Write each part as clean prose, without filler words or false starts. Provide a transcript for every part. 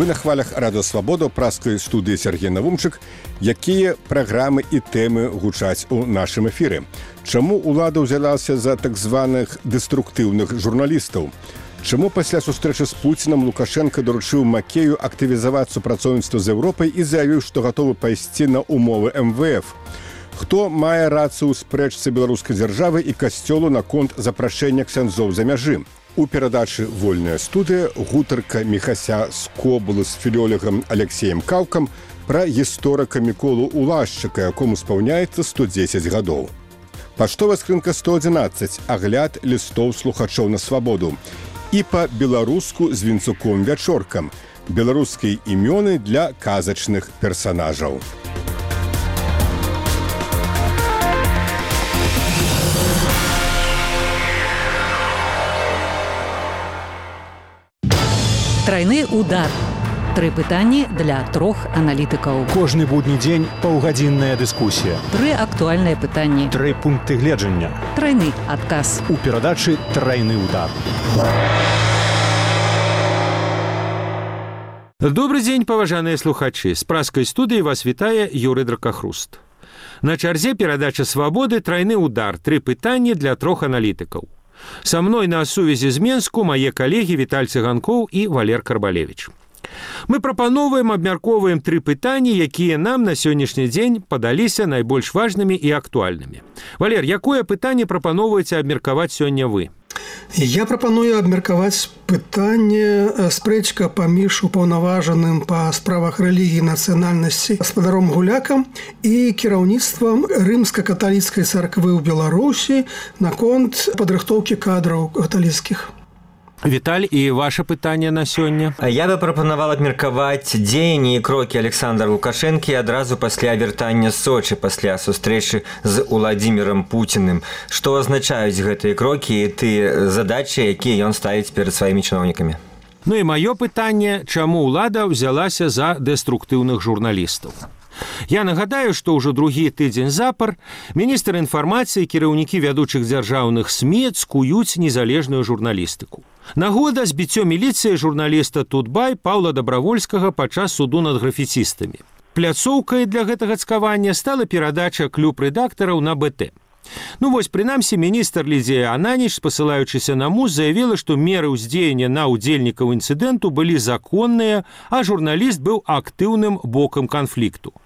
Вы на хвалях Радыё Свабода ў праскай студыі Сергей Навумчык. Якія праграмы і тэмы гучаць у нашым эфіры? Чаму ўлада ўзялася за так званых дэструктыўных журналістаў? Чаму пасля сустрэчы з Пуцінам Лукашенко даручыў Макею актывізаваць супрацоўніцтва з Еўропай і заявіў, што гатовы пайсці на умовы МВФ? Хто мае рацыю ў спрэчцы беларускай дзяржавы і касцёлу наконт запрашэння ксяндзоў за мяжы? У перадачы «Вольная студыя» гутарка Міхася Скобулы з філёлегам Алексеем Каўкам пра гісторыка Міколу Улашчыка, якому спаўняецца 110 гадоў. Паштовая скрынка 111. Агляд лістоў слухачоў на свабоду. І па-беларуску з Вінцуком Вячоркам. Беларускія імёны для казачных персанажаў. Тройны удар. 3 пытанні для 3 аналітыкаў. Кожны будні дзень паўгадзінная дыскусія. 3 актуальныя пытанні. 3 пункты гледжання. Тройны адказ. У перадачы «Тройны удар». Добрый дзень, паважаныя слухачы. З праскай студыі вас вітае Юрый Дракахруст. На чарзе перадача «Свабоды» «Тройны удар». 3 пытанні для 3 аналітыкаў. Со мной на сувязі з Менску мае калегі Віталь Цыганкоў і Валер Карбалевіч. Мы прапановваем, абмяркоўваем 3 пытанні, якія нам на сённяшні дзень падаліся найбольш важнымі і актуальнымі. Валер, якое пытанне прапаноўваеце абмеркаваць сёння вы? Я прапаную абмеркаваць пытанне спрэчка паміж упаўнаважаным па справах рэлігіі нацыянальнасці гаспадаром Гулякам і кіраўніцтвам рымска-каталіцкай царквы ў Беларусі наконт падрыхтоўкі кадраў каталіцкіх. Віталь, і ваше пытанне на сёння? Я бы прапанавал абмеркаваць дзеянні і крокі Александра Лукашэнкі адразу пасля вяртання з Сочы, пасля сустрэчы з Уладзімірам Пуціным. Што азначаюць гэтыя крокі і тыя задачы, якія ён ставіць перад сваімі чыноўнікамі? Ну і маё пытанне, чаму ўлада ўзялася за дэструктыўных журналістаў? Я нагадаю, што ўжо другі тыдзень запар міністр інфармацыі, кіраўнікі вядучых дзяржаўных СМІ цкуюць незалежную журналістыку. Нагода збіццё міліцыі журналіста Тутбай Паўла Дабравольскага падчас суду над графіцістамі. Пляцоўкай для гэтага цкавання стала перадача клуб рэдактараў на БТ. Ну вось, прынамсі, міністр Лідзія Ананіч, спасылаючыся на МУЗ, заявіла, што меры ўздзеяння на ўдзельнікаў інцыдэнту былі законныя, а журналіст быў актыўным бокам канфлікту.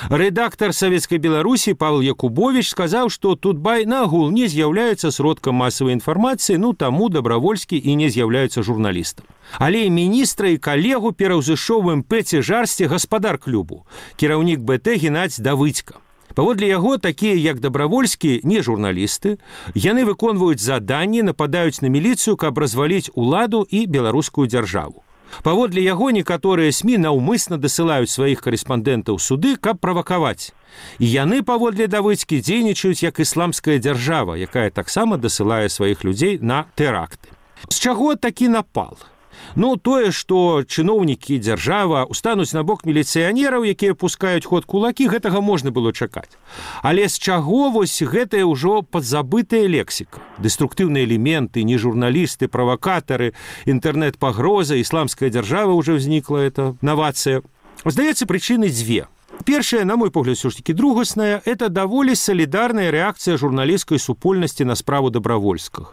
Рэдактар Савецкай Беларусі Павел Якубович сказаў, што Тутбай нагул не з'яўляецца сродкам масавай інфармацыі, ну таму Дабравольскі і не з'яўляецца журналістам. Але і міністра і калегу пераўзышоў у МП цяжарсці гаспадар клубу, кіраўнік БТ Геннадзь Давыдзька. Паводле яго, такія як Дабравольскі не журналісты, яны выконваюць заданні, нападаюць на міліцыю, каб разваліць уладу і беларускую дзяржаву. Паводле яго некаторыя СМІ наўмысна дасылаюць сваіх карэспандэнтаў суды, каб правакаваць. І яны, паводле Давыдзькі, дзейнічаюць як ісламская дзяржава, якая таксама дасылае сваіх людзей на тэракты. З чаго такі напал? Ну, тое, што чыноўнікі дзяржава устануць на бок міліцыянераў, якія пускаюць ход кулакі, гэтага можна было чакаць. Але з чаго вось гэтая ўжо падзабытая лексіка? Дэструктыўныя элементы, не журналісты, правакатары, інтэрнэт-пагроза, ісламская дзяржава ўжо ўзнікла, это навацыя. Здаецца, прычыны 2. Першая, на мой погляд, все ж таки другасная, это даволі солидарная реакция журналистской супольности на справу Добровольского.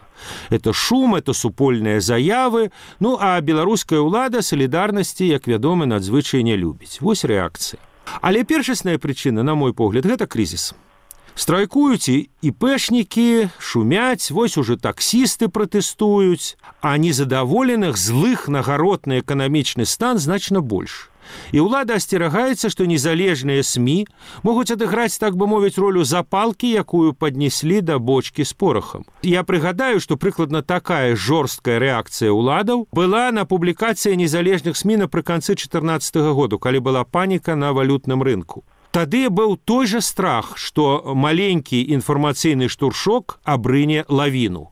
Это шум, это супольные заявы, ну а беларуская ўлада солидарности, як вядома, надзвычай не любіць. Вось реакция. Але першасная прычына, на мой погляд, гэта кризис. Страйкуюць і ІПшнікі, шумяць, вось уже таксісты пратэстуюць, а незадаволеных, злых на гаротны эканамічны стан значна больш. І ўлада асцерагаецца, што незалежныя СМІ могуць адыграць, так бы мовіць, ролю запалкі, якую паднеслі да бочкі з порахам. Я прыгадаю, што прыкладна такая жорсткая рэакцыя ўладаў была на публікацыі незалежных СМІ напрыканцы 2014 году, калі была паніка на валютным рынку. Тады быў той жа страх, што маленькі інфармацыйны штуршок абрыне лавіну.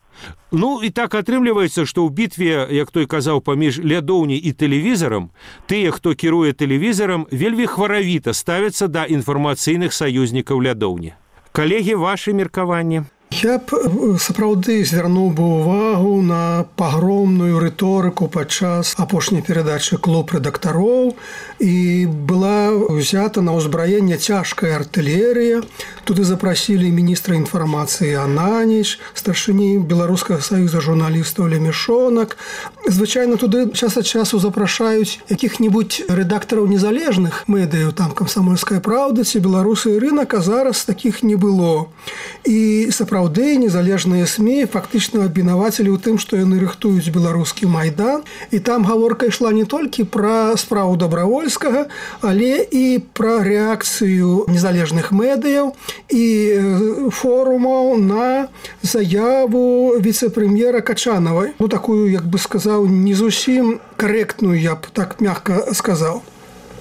Ну, і так атрымліваецца, што ў бітве, як той казаў, паміж лядоўняй і тэлевізарам, тыя, хто кіруе тэлевізарам, вельмі хваравіта ставяцца да інфармацыйных саюзнікаў лядоўні. Калегі, вашы меркаванні? Я б сапраўды звярнуў бы ўвагу на пагромную рыторыку падчас апошняй перадачы «Клуб рэдактароў», і была ўзята на ўзбраенне цяжкая артылерыя. Туды запрасілі міністра інфармацыі Ананіч, старшыні Беларускага саюза журналістаў Лемешонак. Звычайна туды час ад часу запрашаюць якіх-небудзь рэдактараў незалежных медыяў, там «Камсамольская праўда» ці «Беларусы і рынак», а зараз такіх не было. І сапраўды незалежныя СМІ фактычна абвінавацілі ў тым, што яны рыхтуюць беларускі майдан. І там гаворка ішла не толькі пра справу Добравольскага, але і пра рэакцыю незалежных медыяў і форумаў на заяву віцэ-прэм'ера Качанавай. Ну, такую, як бы сказаў, не зусім карэктную, я б так мякка сказаў.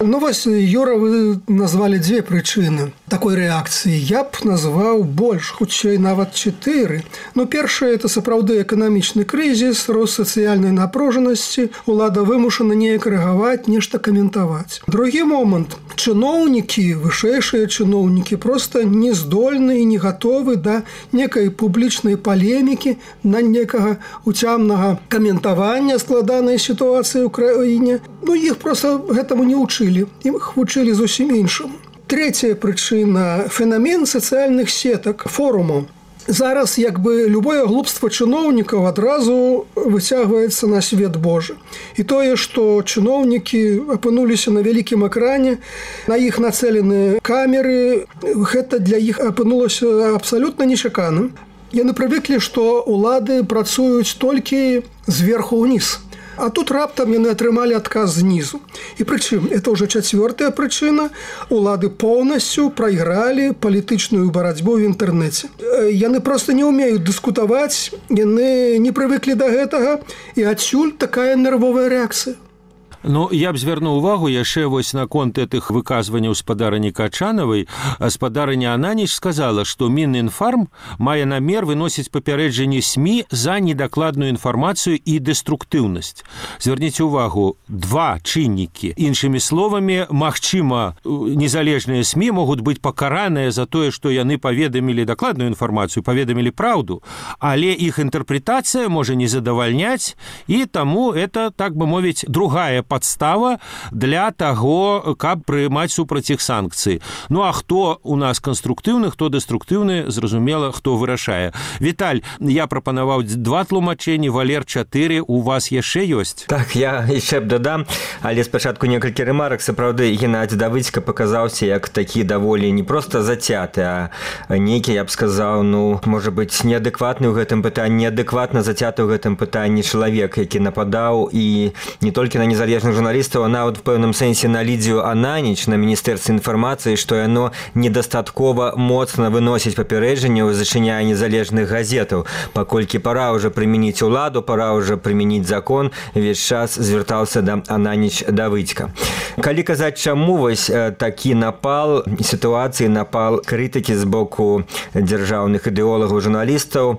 Ну, вось, Юра, вы назвалі дзве прычыны такой рэакцыі. Я б назваў больш, хутчэй нават 4. Ну, першае, это сапраўды эканамічны крызіс, рост сацыяльнай напружанасці, улада вымушана неяк рэагаваць, нешта каментаваць. Другі момант. Чыноўнікі, вышэйшыя чыноўнікі проста не здольны і не гатовы да некай публічнай палемікі, на некага уцямнага каментавання складанай сітуацыі ў краіне. Ну, іх проста гэтаму не ўчылі. Іх вучылі зусім іншым. Трэцяя прычына – фенамен сацыяльных сетак, форумаў. Зараз як бы любое глупства чыноўнікаў адразу выцягваецца на свет Божы. І тое, што чыноўнікі апынуліся на вялікім экране, на іх нацэлены камеры, гэта для іх апынулася абсалютна нечаканым. Яны прывыклі, што улады працуюць толькі зверху ўніз. А тут раптам яны атрымалі адказ знізу. І прычым, это ўжо 4-я прычына, улады поўнасцю прайгралі палітычную барацьбу ў інтэрнэце. Яны проста не ўмеюць дыскутаваць, яны не прывыклі да гэтага, і адсюль такая нервовая рэакцыя. Ну, я б звярнуў увагу яшчэ вось наконт гэтых выказванняў спадарыні Качанавай. Спадарыня Ананіч сказала, што Мінінфарм мае намер выносіць папярэджанні СМІ за недакладную інфармацыю і дэструктыўнасць. Звярніце ўвагу, 2 чыннікі. Іншымі словамі, магчыма, незалежныя СМІ могуць быць пакараныя за тое, што яны паведамілі дакладную інфармацыю, паведамілі праўду, але іх інтэрпрэтацыя можа не задавальняць, і таму это, так бы мовіць, другая подстава для таго, каб прымаць супраць іх санкцыі. Ну, а хто у нас канструктыўны, хто дэструктыўны, зразумела, хто вырашае. Віталь, я прапанаваў 2 тлумачэнні, Валер 4, у вас яшчэ ёсць? Так, я яшчэ б дадам, але спачатку некалькі рэмарак. Сапраўды, Геннадзь Давыдзька паказаўся як такі даволі не проста зацяты, а нейкі, я б сказаў, ну, можа быць, неадэкватны ў гэтым пытанні, неадэкватна зацяты ў гэтым пытанні чалавек, які нападаў і не толькі на незалежных журналістаў, а нават в пэўным сэнсе на Лідзію Ананіч, на Міністэрстве інфармацыі, што яно недастаткова моцна выносіць папярэджанне, зачыняе незалежных газетаў. Паколькі пора ўжо прымяніць уладу, пора ўжо прымяніць закон, увесь час звяртаўся да Ананіч Давыдзька. Калі казаць, чаму вось такі напал сітуацыі, напал крытыкі з боку дзяржаўных ідэолагаў журналістаў,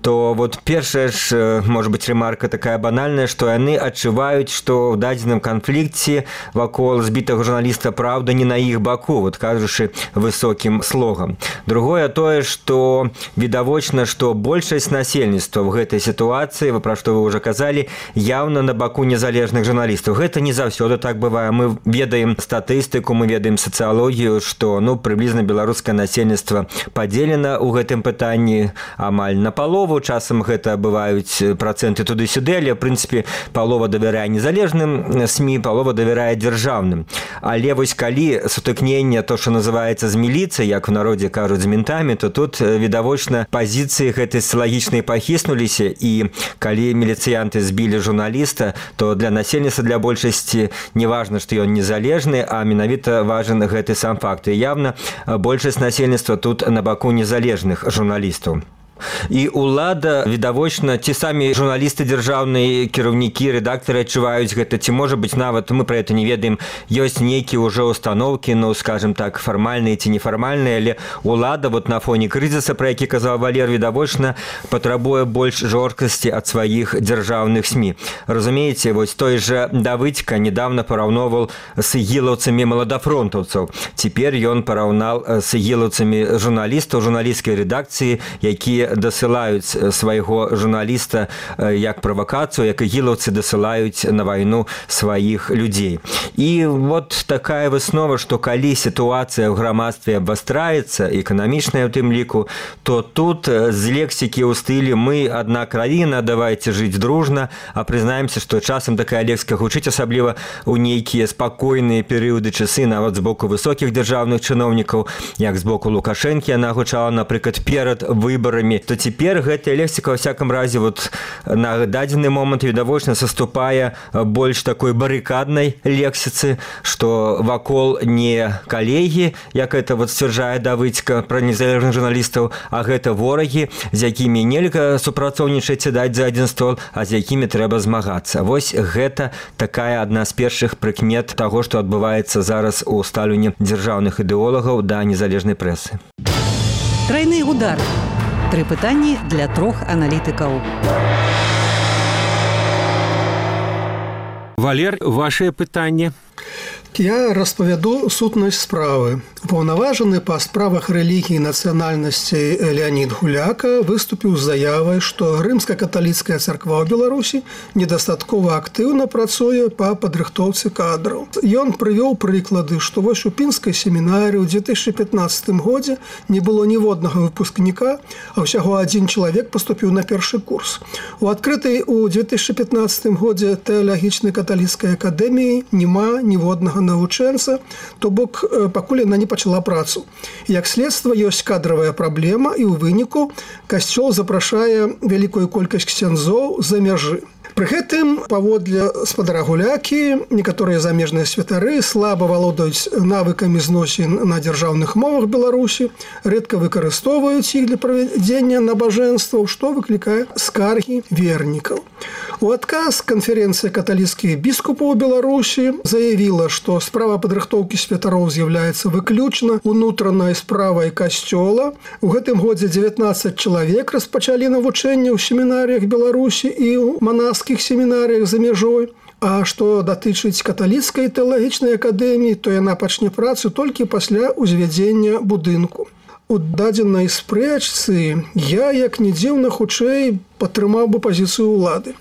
то вот першая ж, можа быць, ремарка такая банальная, што яны адчуваюць, што ў дадзеным канфлікце вакол збітага журналіста праўда не на іх баку, вот кажучы высокім слогам. Другое тое, што відавочна, што большасць насельніцтва ў гэтай сітуацыі, пра што вы ўжо казалі, яўна на баку незалежных журналістаў. Гэта не заўсёды так бывае. Мы ведаем статыстыку, мы ведаем сацыялогію, што, ну, прыблізна беларускае насельніцтва падзелена ў гэтым пытанні амаль на палову. Часам гэта бываюць працэнты туды-сюды, але, в прынцыпе, палова давярае незалежным СМІ, палова давярае дзяржаўным. Але вось калі сутыкненне, то, што называецца з міліцыяй, як у народзе кажуць, з ментамі, то тут відавочна пазіцыі гэтай сацыялагічнай пахіснуліся, і калі міліцыянты збілі журналіста, то для насельніцтва, для большасці не важна, што ён незалежны, а менавіта важен гэты сам факт. І явна большасць насельніцтва тут на баку незалежных журналістаў. І улада, відавочна, ці самі журналісты дзяржаўныя, кіраўнікі, рэдактары адчуваюць гэта, ці можа быць нават, мы пра гэта не ведаем, ёсць нейкія ўжо установкі, ну, скажем так, фармальныя ці нефармальныя, але улада вот на фоне крызіса, пра які казаў Валер, відавочна патрабуе больш жорсткасці ад сваіх дзяржаўных СМІ. Разумееце, вось той жа Давыдзька недавно параўноўваў з ігілаўцамі маладафронтаўцаў. Цяпер ён параўнаў з ігілаўцамі журналістаў, журналісцкай рэдакцыі, якія дасылаюць свайго журналіста як правакацыю, як ігілаўцы дасылаюць на вайну сваіх людзей. І вот такая выснова, што калі сітуацыя ў грамадстве абвастраецца, эканамічная ў тым ліку, то тут з лексікі ў стылі «мы одна краіна, давайте жыць дружна», а прызнаемся, што часам такая лексіка гучыць, асабліва ў нейкія спакойныя перыяды часы, нават з боку высокіх дзяржаўных чыноўнікаў, як з боку Лукашэнкі яна гучала, напрыклад, перад выбарамі, то цяпер гэтая лексіка, ва всякам разе, вот на дадзены момант відавочна саступае больш такой барыкаднай лексіцы, што вакол не калегі, як это вот сцвярджае Давыдзька пра незалежных журналістаў, а гэта ворагі, з якімі нельга супрацоўнічаць і даць за адзін стол, а з якімі трэба змагацца. Вось гэта такая адна з першых прыкмет таго, што адбываецца зараз у стаўленні дзяржаўных ідэолагаў да незалежнай прэсы. Трайны удар. 3 пытанні для 3 аналітыкаў. Валер, ваше пытанне? Я распавяду сутнасць справы. Паўнаважаны па справах рэлігіі і нацыянальнасці Леонід Гуляка выступіў з заявай, што рымска-каталіцкая царква ў Беларусі недастаткова актыўна працуе па падрыхтоўцы кадраў. Ён прывёў прыклады, што вось у пінскай семінарыі ў 2015 годзе не было ніводнага выпускніка, а ўсяго 1 чалавек паступіў на першы курс. У адкрытай у 2015 годзе тэалагічнай каталіцкай акадэміі няма ніводнага навучэнца, то бок пакуль яна не пачала працу. Як следства, ёсць кадравая праблема, і ў выніку касцёл запрашае вялікую колькасць ксяндзоў за мяжы. Пры гэтым, паводле спадара Гулякі, некаторыя замежныя святары слаба валодаюць навыкамі зносін на дзяржаўных мовах Беларусі, рэдка выкарыстоўваюць іх для правядзення набажэнстваў, што выклікае скаргі вернікаў. У адказ канферэнцыя каталіцкіх біскупаў Беларусі заявіла, што справа падрыхтоўкі святароў з'яўляецца выключна унутранай справай касцёла. У гэтым годзе 19 чалавек распачалі навучанне ў семінарыях Беларусі і ў манаскіх семінарыях за мяжой. А што датычыць каталіцкай тэалагічнай акадэміі, то яна пачне працу толькі пасля ўзвядзення будынку. У дадзенай спрэчцы я, як не дзіўна, хутчэй падтрымаў бы пазіцыю ўлады.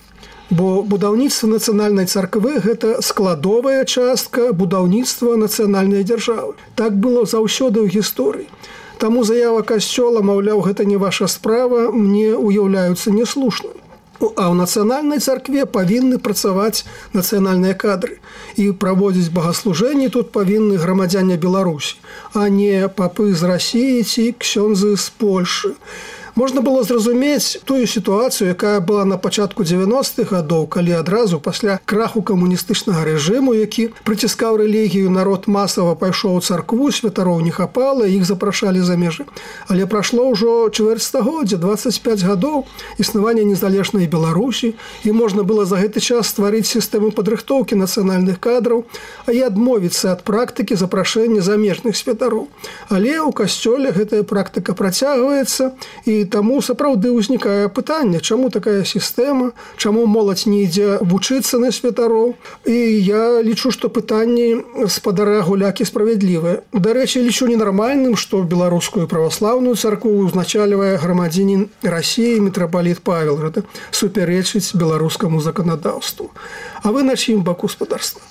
Бо будаўніцтва нацыянальнай царквы – гэта складовая частка будаўніцтва нацыянальнай дзяржавы. Так было заўсёды ў гісторыі. Таму заява касцёла, маўляў, гэта не ваша справа, мне уяўляюцца неслушным. А ў нацыянальнай царкве павінны працаваць нацыянальныя кадры. І праводзіць богаслужэнні тут павінны грамадзяне Беларусі, а не папы з Расіі ці ксёндзы з Польшы. Можна было зразумець тую сітуацыю, якая была на пачатку 90-х гадоў, калі адразу пасля краху камуністычнага рэжыму, які прыціскаў рэлігію, народ масава пайшоў у царкву, святароў не хапала, іх запрашалі за межы. Але прайшло ўжо чвэрць стагоддзя, 25 гадоў існавання незалежнай Беларусі, і можна было за гэты час стварыць сістэму падрыхтоўкі нацыянальных кадраў, а і адмовіцца ад практыкі запрашэння замежных святароў. Але ў касцёле гэтая практыка працягваецца, і таму сапраўды ўзнікае пытанне, чаму такая сістэма, чаму моладзь не ідзе вучыцца на святароў. І я лічу, што пытанні спадара Гулякі справядлівыя. Дарэчы, лічу ненармальным, што беларускую праваслаўную царкву узначальвае грамадзінін Расіі мітрапаліт Павел. Гэта супярэчыць беларускаму заканадаўству. А вы на чым баку спадарства?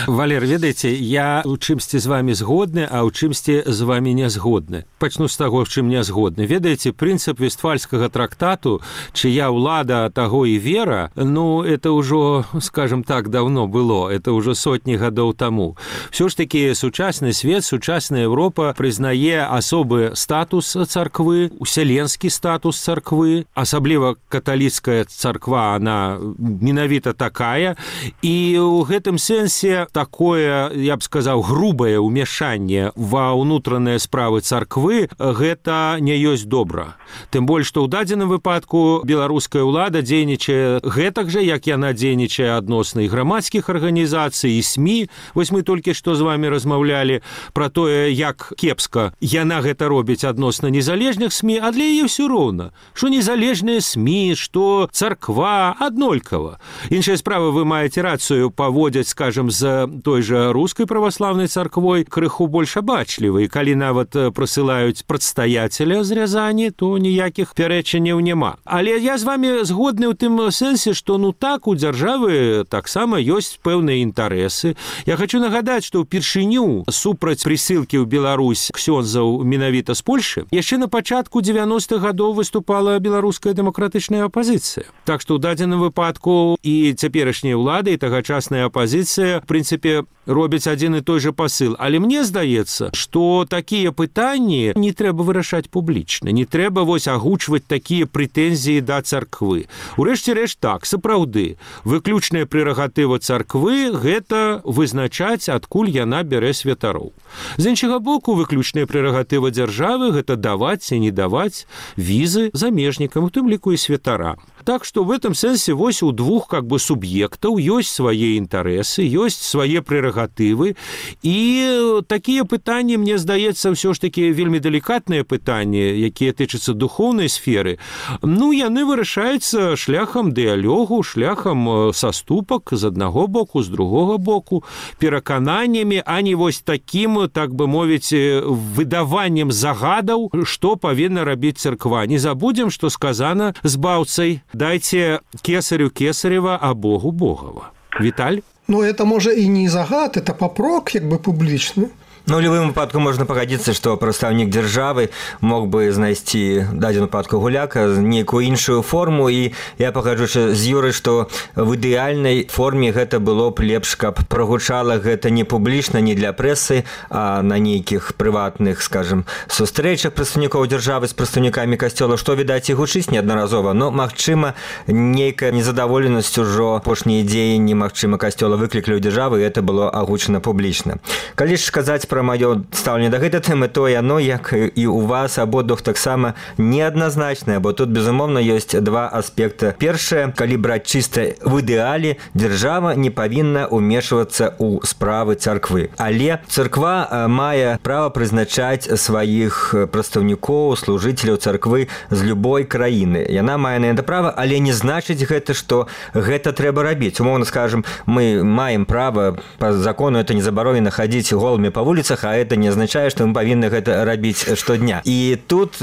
Валер, ведаеце, я у чымсьці з вами згодны, а ў чымсьці з вами не згодны. Пачну з таго, з чым не згодны. Ведаеце, прынцып Вестфальскага трактату, чыя ўлада, таго і вера, ну, это ўжо, скажем так, давно было, это ўжо сотні гадоў таму. Всё ж такі сучасны свет, сучасная Европа прызнае асобы статус царквы, усяленскі статус царквы, асабліва каталіцкая царква, она менавіта такая, і ў гэтым сэнсе такое, я б сказаў, грубае ўмяшанне ва ўнутраныя справы царквы, гэта не ёсць добра. Тым больш, што ў дадзеным выпадку беларуская ўлада дзейнічае гэтак жа, як яна дзейнічае адносна і грамадскіх арганізацый, і СМІ. Вось мы толькі што з вами размаўлялі пра тое, як кепска яна гэта робіць адносна незалежных СМІ, а для яе ўсё роўна. Што незалежныя СМІ, што царква аднолькава. Іншая справа, вы маеце рацыю, паводзяць быць, скажем, з той жа рускай праваслаўнай царквой крыху больш абачлівы. І калі нават прысылаюць прадстаяцеля з Рязані, то ніякіх пярэчанняў няма. Але я з вами згодны ў тым сэнсе, што так у дзяржавы таксама ёсць пэўныя інтарэсы. Я хочу нагадаць, што ўпершыню супраць прысылкі ў Беларусь ксёндзаў менавіта з Польшы яшчэ на пачатку 90-х гадоў выступала беларуская дэмакратычная апазіцыя. Так што ў дадзеным выпадку і цяперашняя ўлада, і тагачасная апазіцыя, в прынцыпе, робяць адзін і той жа пасыл. Але мне здаецца, што такія пытанні не трэба вырашаць публічна, не трэба агучваць такія прэтэнзіі да царквы. Урэшце рэшт так, сапраўды, выключная прерагатыва царквы – гэта вызначаць, адкуль яна бярэ святароў. З іншага боку, выключная прерагатыва дзяржавы – гэта даваць ці не даваць візы замежнікам, у тым ліку і святарам. Так што в этом сэнсе вось у двух суб'ектаў ёсць свае інтарэсы, ёсць свае прерагатывы, і такія пытанні, мне здаецца, ўсё ж такі вельмі далікатныя пытанні, якія тычацца духоўнай сферы, яны вырашаюцца шляхам дыялогу, шляхам саступак з аднаго боку, з другога боку, перакананнямі, а не вось такім, так бы мовіць, выдаваннем загадаў, што павінна рабіць царква. Не забудзем, што сказана збаўцай: дайте кесарю кесарева, а Богу Богова. Віталь? Это, можа, і не загад, это папрок, публічны. У любым выпадку можна пагадзіцца, што прадстаўнік дзяржавы мог бы знайсці дадзеную выпадку гуляка нейкую іншую форму, і я пагаджуся з Юрай, што в ідэальнай форме гэта было б лепш, каб прагучала гэта не публічна, не для прэсы, а на нейкіх прыватных, скажем, сустрэчах прадстаўнікоў дзяржавы з прадстаўнікамі касцёла, што, відаць, і гучыць неаднаразова, магчыма, нейкая незадаволенасць ужо апошнія дзеянні, магчыма, касцёла выклікалі ў дзяржавы, і гэта было агучана публічна. Калі ж казаць пра маё стаўленне да гэтай тэмы, то яно, як і у вас абодвух, таксама неадназначнае, бо тут, безумоўна, ёсць два аспекты. Першае, калі браць чыста в ідэале, дзяржава не павінна ўмешвацца ў справы царквы. Але царква мае права прызначаць сваіх прадстаўнікоў, служыцеляў царквы з любой краіны. Яна мае на гэта права, але не значыць гэта, што гэта трэба рабіць. Умоўна скажем, мы маем права, па закону это не забаронена хадзіць голымі па вуліцах, а это не означае, што мы павінны гэта рабіць штодня. І тут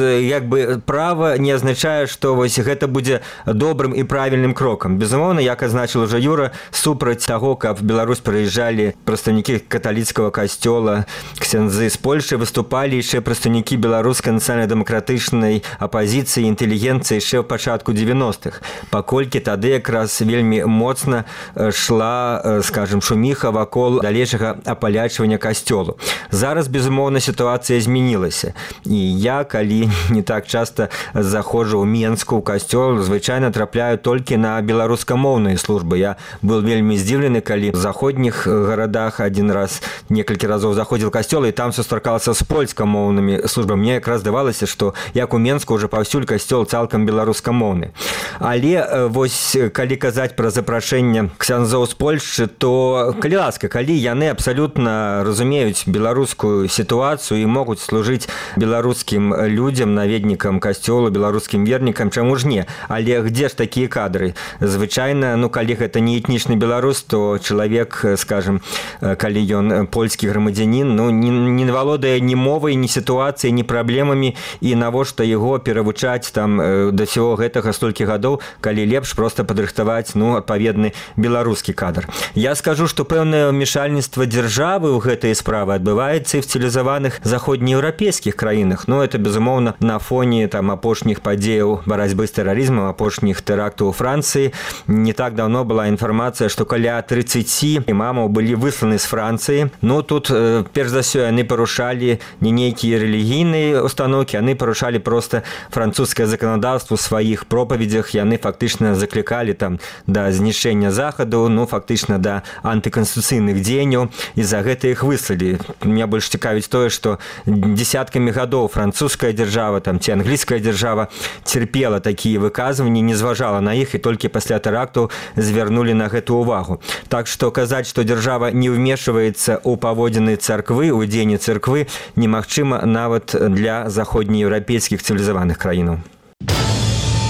права не азначае, што вось гэта будзе добрым і правільным крокам. Безумоўна, як азначыў уже Юра, супраць таго, каб в Беларусь прыязджалі прадстаўнікі каталіцкага касцёла, ксяндзы з Польшы, выступалі яшчэ прадстаўнікі беларускай нацыянальна-дэмакратычнай апазіцыі, інтэлігенцыі яшчэ ў пачатку 90-х, паколькі тады якраз вельмі моцна шла, скажем, шуміха вакол далейшага апалячвання касцёлу. Зараз, безумоўна, сітуацыя змянілася. І я, калі не так часта заходжу ў Менску, ў касцёл, звычайна трапляю толькі на беларускамоўныя службы. Я был вельмі здзіўлены, калі в заходніх гарадах адзін раз, некалькі разоў заходзіў касцёл, і там сустракаўся з польскамоўнымі службамі. Мне якраз здавалася, што як у Менску ўжо паўсюль касцёл цалкам беларускамоўны. Але вось, калі казаць пра запрашэнне ксяндзоў з Польшчы, то, калі ласка, калі яны абсалютна разумеюць беларускую сітуацыю і могуць служыць беларускім людзям, наведнікам касцёла, беларускім вернікам, чаму ж не? Але где ж такія кадры? Звычайна, калі гэта не этнічны беларус, то чалавек, скажем, калі ён польскі грамадзянін, не валодае ні мовай, ні сітуацыяй, ні праблемамі, і навошта яго перавучаць там да всего гэтага столькі гадоў, калі лепш проста падрыхтаваць, адпаведны беларускі кадр. Я скажу, што пэўнае ўмешальніцтва дзяржавы ў гэтай справы адбываецца і в цывілізаваных заходнееўрапейскіх краінах. Это, безумоўна, на фоне апошніх падзеяў барацьбы з тэрарызмам, апошніх тэрактаў у Францыі. Не так даўно была інфармацыя, што каля 30 імамаў былі высланы з Францыі. Тут, перш за ўсё, яны парушалі не нейкія рэлігійныя установкі, яны парушалі проста французскае заканадаўства ў сваіх пропаведзях. Яны фактычна заклікалі там да знішчэння захаду, фактычна да антыканстытуцыйных дзеянняў, і за гэта іх выслалі. Меня больш цікавіць тое, што дзесяткамі гадоў французская дзяржава ці англійская дзяржава церпела такія выказванні, не зважала на іх, і толькі пасля тэрактаў звярнулі на гэту увагу. Так што казаць, што дзяржава не ўмешваецца ў паводзіны царквы, у дзеянні царквы, немагчыма нават для заходнееўрапейскіх цывілізаваных краінаў.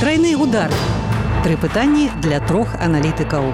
Трайны удар. 3 пытанні для 3 аналітыкаў.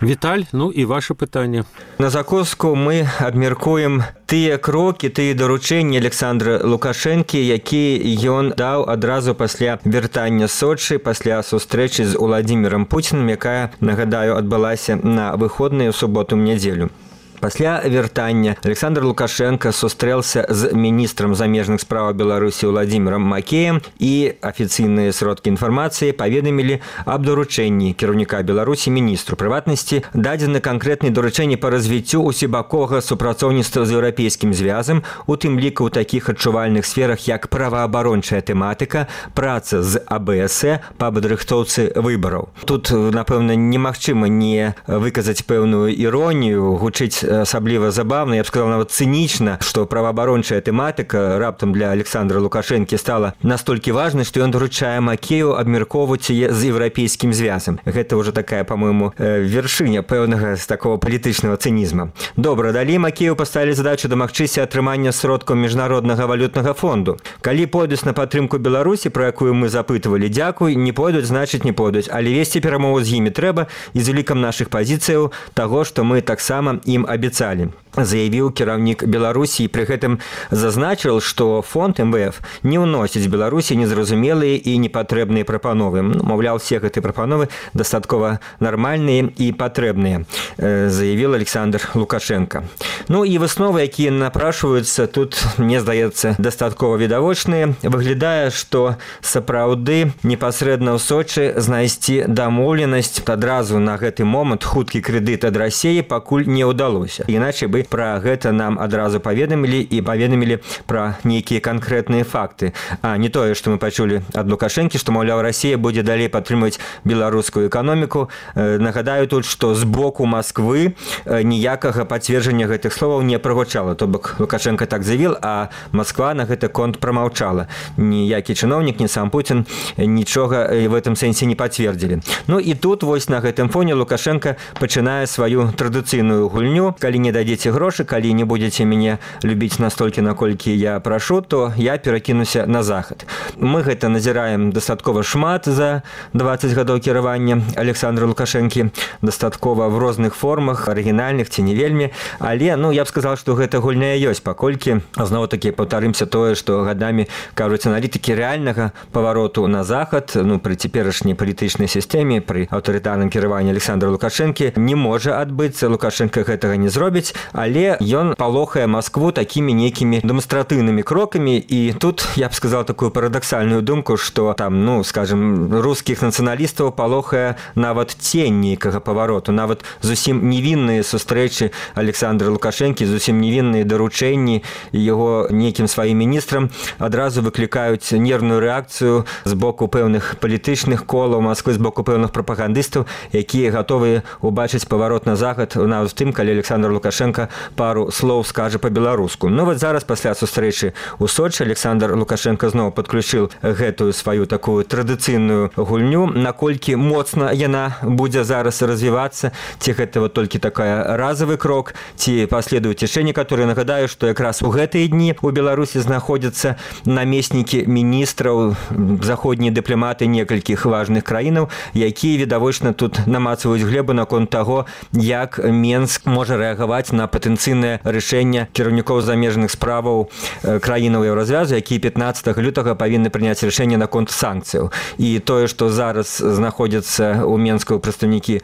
Віталь, ну і ваше пытанне. На закуску мы абмяркуем тыя крокі, тыя даручэнні Александра Лукашэнкі, якія ён даў адразу пасля вяртання з Сочы, пасля сустрэчы з Уладзімірам Пуціным, якая, нагадаю, адбылася на выходныя ў суботу-нядзелю. Пасля вяртання Александр Лукашенко сустрэлся з міністрам замежных справаў Беларусі Уладзімірам Макеем, і афіцыйныя сродкі інфармацыі паведамілі аб даручэнні кіраўніка Беларусі міністру прыватнасці дадзены канкрэтныя даручэнні па развіццю усебаковага супрацоўніцтва з еўрапейскім звязам, у тым ліку ў такіх адчувальных сферах, як праваабарончая тэматыка, праца з АБС па падрыхтоўцы выбараў. Тут, напэўна, немагчыма не выказаць пэўную іронію, гучыць асабліва забавна, я б сказал, нават цынічна, што праваабарончая тэматыка раптам для Александра Лукашэнкі стала настолькі важнай, што ён даручае Макею абмяркоўваць яе з еўрапейскім звязам. Гэта ўжо такая, па-мойму, вяршыня пэўнага з такого палітычнага цынізма. Добра, далей Макею паставілі задачу дамагчыся атрымання сродкаў міжнароднага валютнага фонду. Калі пойдуць на падтрымку Беларусі, про якую мы запытвалі, дзякуй, не пойдуць, значыць не пойдуць, але весці перамову з імі трэба, і з улікам нашых пазіцыяў таго, што мы таксама ім абяцалі, заявіў кіраўнік Беларусі, і пры гэтым зазначыў, што фонд МВФ не ўносіць Беларусі незразумелыя і непатрэбныя прапановы. Маўляў, все гэтыя прапановы дастаткова нармальныя і патрэбныя, заявіў Александр Лукашенко. Ну і высновы, якія напрашваюцца, тут, мне здаецца, дастаткова відавочныя. Выглядае, што сапраўды непасрэдна ў Сочы знайсці дамоўленасць адразу на гэты момант хуткі крэдыт ад Расіі пакуль не ўдалося. Іначай бы пра гэта нам адразу паведамілі і паведамілі пра нейкія канкрэтныя факты. А не тое, што мы пачулі ад Лукашэнкі, што, маўляў, Расія будзе далей падтрымваць беларускую эканоміку. Нагадаю тут, што з боку Масквы ніякага пацверджання гэтых словаў не прагучала. То бок Лукашенко так заявіў, а Масква на гэты конт прамаўчала. Ніякі чыноўнік, ні сам Пуцін нічога в этом сэнсе не пацвердзілі. Ну і тут вось на гэтым фоне Лукашенко пачынае сваю традыцыйную гульню. Калі не дадзеце грошы, калі не будзеце мяне любіць настолькі, наколькі я прашу, то я перакінуся на захад. Мы гэта назіраем дастаткова шмат за 20 гадоў кіравання Александра Лукашэнкі, дастаткова в розных формах, арыгінальных ці не вельмі, але, ну, я б сказал, што гэта гульня ёсць, паколькі, зноў-такі, паўтарымся тое, што гадамі кажуць аналітыкі рэальнага павароту на захад, ну, пры цяперашняй палітычнай сістэме, пры аўтарытарным кіраванні Александра Лукашэнкі не можа адбыцца. Лукашенко гэтага не зробіць, але ён палохае Маскву такімі нейкімі дэманстратыўнымі крокамі. І тут я б сказал такую парадаксальную думку, што там, ну, скажем, рускіх нацыяналістаў палохае нават цень нейкага павароту, нават зусім невінныя сустрэчы Александра Лукашэнкі, зусім невінныя даручэнні яго нейкім сваім міністрам адразу выклікаюць нервную рэакцыю з боку пэўных палітычных колаў Масквы, з боку пэўных прапагандыстаў, якія гатовыя убачыць паварот на захад нават тым, калі Александр Лукашенко пару слоў скажа па-беларуску. Ну вот зараз пасля сустрэчы ў Сочы Александр Лукашенко зноў падключыў гэтую сваю такую традыцыйную гульню. Наколькі моцна яна будзе зараз развівацца, ці гэта вот толькі такая разовый крок, ці паследуюць яшчэ некаторыя. Нагадаю, што якраз у гэтыя дні у Беларусі знаходзяцца намеснікі міністраў, заходнія дыпламаты некалькіх важных краінаў, якія відавочна тут намацваюць глебу наконт таго, як Менск можа рэагаваць на патэнцыйнае рашэнне кіраўнікоў замежных справаў краінаў Еўразвязу, якія 15 лютага павінны прыняць рашэнне наконт санкцыяў. І тое, што зараз знаходзяцца ў Менску прадстаўнікі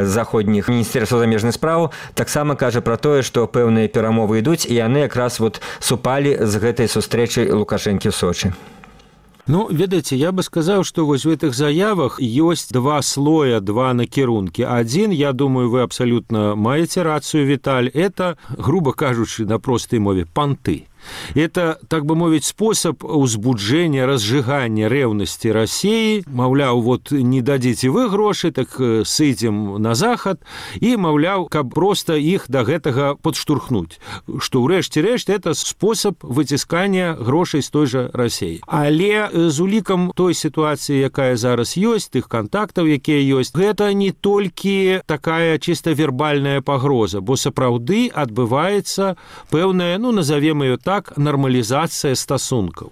заходніх міністэрства замежных справаў, таксама кажа пра тое, што пэўныя перамовы ідуць, і яны якраз вот супалі з гэтай сустрэчай Лукашэнкі ў Сочы. Ну, ведаеце, я бы сказаў, што вось в гэтых заявах ёсць два слоя, два накірункі. Адзін, я думаю, вы абсалютна маеце рацыю, Віталь, это, грубо кажучы, на простай мове, панты. Это, так бы мовить, способ узбуджения, разжигания ревности России. Маўляў, вот не дадите вы грошы, так сыдзем на захад. И, маўляў, каб просто их до гэтага подштурхнуть. Что, урэшце рэшт, это способ выціскання грошай з той же России. Але з улікам той ситуации, якая зараз ёсць, тых контактаў, якія ёсць, гэта не толькі такая чисто вербальная пагроза, бо сапраўды адбываецца пэўная, ну, назовем ее так, так нармалізацыя стасункаў.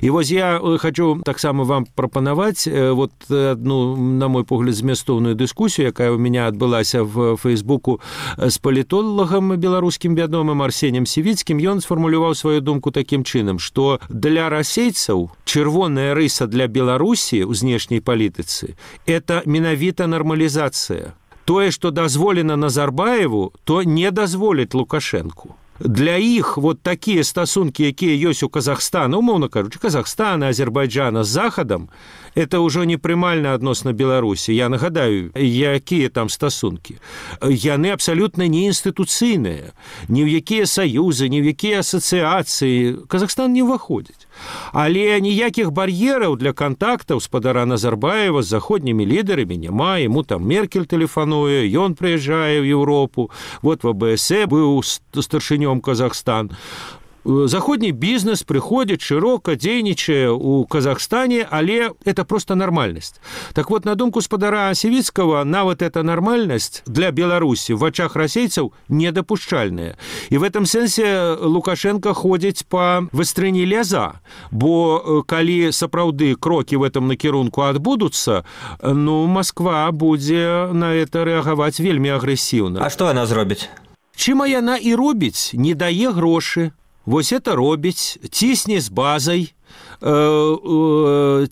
І вось я хочу таксама вам прапанаваць вот одну, на мой погляд, змястоўную дыскусію, якая у меня адбылася в Фейсбуку з палітолагам беларускім вядомым Арсенем Сівіцкім. Ён сфармуляваў сваю думку такім чынам, што для расейцаў чырвоная рыса для Беларусі ў знешняй палітыцы – это менавіта нармалізацыя. Тое, што дазволена Назарбаеву, то не дазволіць Лукашэнку. Для іх вот такія стасункі, якія ёсць у Казахстана, умоўна кажучы, Казахстана, Азербайджана з Захадам, это ўжо непрымальна адносна Беларусі. Я нагадаю, якія там стасункі. Яны абсалютна не інстытуцыйныя, ні ў якія саюзы, ні ў якія асацыяцыі. Казахстан не ўваходзіць. Але ніякіх бар'ераў для кантактаў спадара Назарбаева з заходнімі лідарамі няма. Яму там Меркель тэлефануе, ён прыязджае ў Еўропу. Вот в АБС быў старшынём Казахстан. Заходні бізнес прыходзіць шырока, дзейнічае ў Казахстане, але это просто нармальнасць. Так вот, на думку спадара Сівіцкага, нават эта нармальнасць для Беларусі в вачах расейцаў недапушчальная. І в этом сэнсе Лукашенко ходзіць па выстрыні ляза, бо калі сапраўды крокі в этом накірунку адбудуцца, ну, Москва будзе на это рэагаваць вельмі агрэсіўна. А што яна зробіць? Чым яна і робіць, не дае грошы. Вось это робіць, цісне з базай,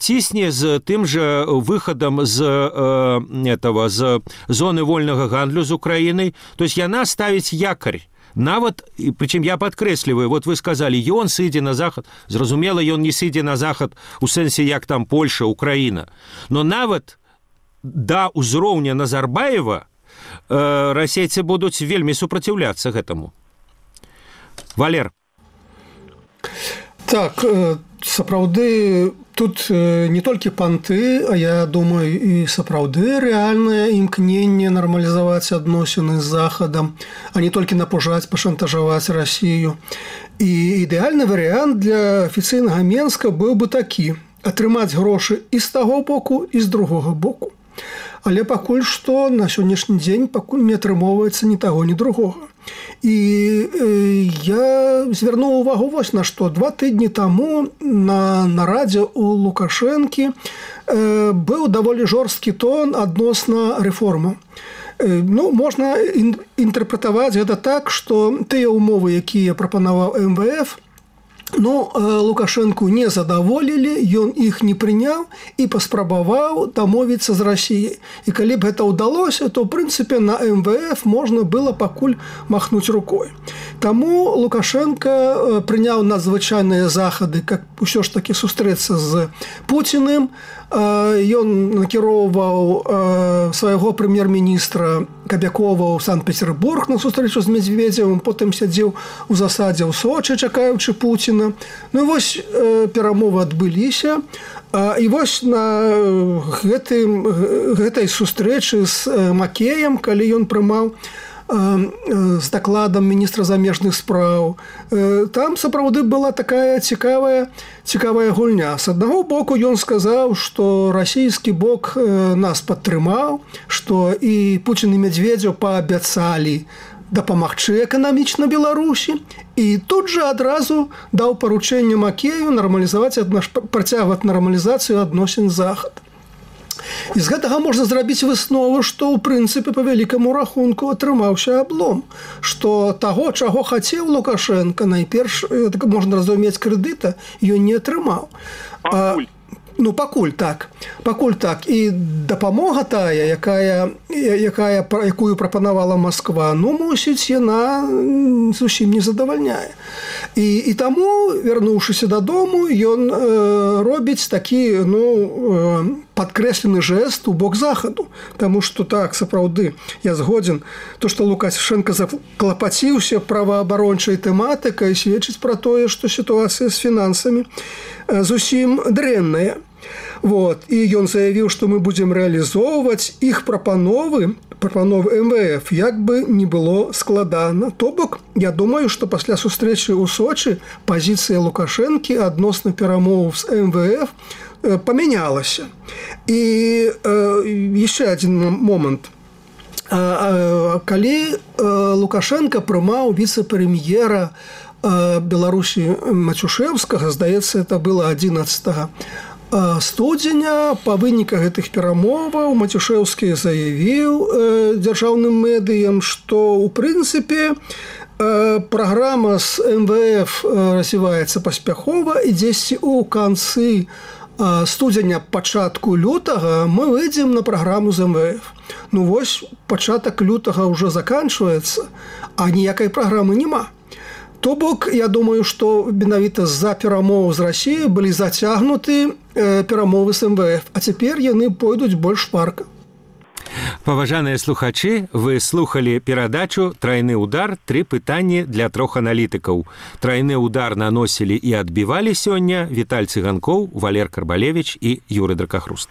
цісне з тым жа выхадам з зоны вольнага гандлю з Украінай. То есть яна ставіць якарь. Нават, прычым я падкрэсліваю, вот вы сказалі, ён сыдзе на захад. Зразумела, ён не сыдзе на захад у сэнсе, як там Польша, Украіна. Но нават да ўзроўня Назарбаева расейцы будуць вельмі супраціўляцца гэтаму. Валер. Так, сапраўды, тут не толькі панты, а я думаю, і сапраўды рэальнае імкненне нармалізаваць адносіны з Захадам, а не толькі напужаць, пашантажаваць Расію. І ідэальны варыянт для афіцыйнага Менска быў бы такі – атрымаць грошы і з таго боку, і з другога боку. Але пакуль што на сённяшні дзень пакуль не атрымоўваецца ні таго, ні другога. І я звярнуў увагу вось на што. 2 тыдні таму на нарадзе ў Лукашэнкі быў даволі жорсткі тон адносна рэформаў. Ну, можна інтэрпрэтаваць гэта так, што тыя ўмовы, якія прапанаваў МВФ, ну, Лукашэнку не задаволілі, ён іх не прыняў і паспрабаваў дамовіцца з Расіяй. І калі б гэта ўдалося, то, ў прынцыпе, на МВФ можна было пакуль махнуць рукой. Таму Лукашенко прыняў надзвычайныя захады, каб усё ж такі сустрэцца з Пуціным. Ён накіроўваў свайго прэм'ер-міністра Кабякова ў Санкт-Петербург на сустрэчу з Медведзевым, потым сядзеў у засадзе ў Сочы, чакаючы Пуціна. Ну і вось перамовы адбыліся. І вось на гэтай сустрэчы з Макеем, калі ён прымаў з дакладам міністра замежных спраў, там сапраўды была такая цікавая гульня. З аднаго боку ён сказаў, што расійскі бок нас падтрымаў, што і Пуцін і Медведзеў паабяцалі дапамагчы эканамічна Беларусі, і тут жа адразу даў паручэнне Макею працягваць нармалізацыю адносін з Захадам. І з гэтага можна зрабіць выснову, што ў прынцыпе па вялікаму рахунку атрымаўся аблом, што таго, чаго хацеў Лукашенко, найперш можна разумець крэдыта, ён не атрымаў. Пакуль так. І дапамога тая, якую прапанавала Москва, мусіць, яна зусім не задавальняе. І таму, вярнуўшыся дадому, ён робіць такі, падкрэслены жэст у бок Захаду. Таму што так, сапраўды, я згодзін, то, што Лукашенко заклапаціўся праваабарончай тэматыкай, сведчыць пра тое, што сітуацыя з фінансамі зусім дрэнная. І ён заявіў, што мы будзем рэалізоўваць іх прапановы МВФ, як бы не было складана. То бок, я думаю, што пасля сустрэчы ў Сочы пазіцыя Лукашэнкі адносна перамоваў з МВФ памянялася. І яшчэ адзін момант. Калі Лукашенко прымаў віцэ-прэм'ера Беларусі Мацюшэўскага, здаецца, это было 11 студзеня. Па выніках гэтых перамоваў Мацюшэўскі заявіў дзяржаўным медыям, што ў прынцыпе праграма з МВФ развіваецца паспяхова, і дзесьці ў канцы студзеня, пачатку лютага мы выйдзем на праграму з МВФ. Ну вось, пачатак лютага ўжо заканчваецца, а ніякай праграмы няма. То бок, я думаю, што менавіта з-за перамоў з Расіяй былі зацягнуты перамовы з МВФ, а цяпер яны пойдуць больш шпарка. Паважаныя слухачы, вы слухалі перадачу «Трайны удар. 3 пытанні для 3 аналітыкаў». Трайны удар наносілі і адбівалі сёння Віталь Цыганкоў, Валер Карбалевіч і Юрый Дракахруст.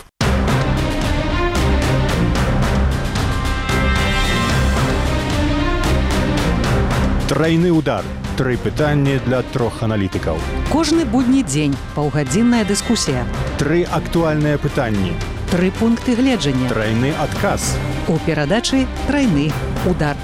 Трайны удар. 3 пытанні для 3 аналітыкаў. Кожны будні дзень паўгадзінная дыскусія. 3 актуальныя пытанні. 3 пункты гледжання. Трайны адказ. У перадачы «Трайны удар».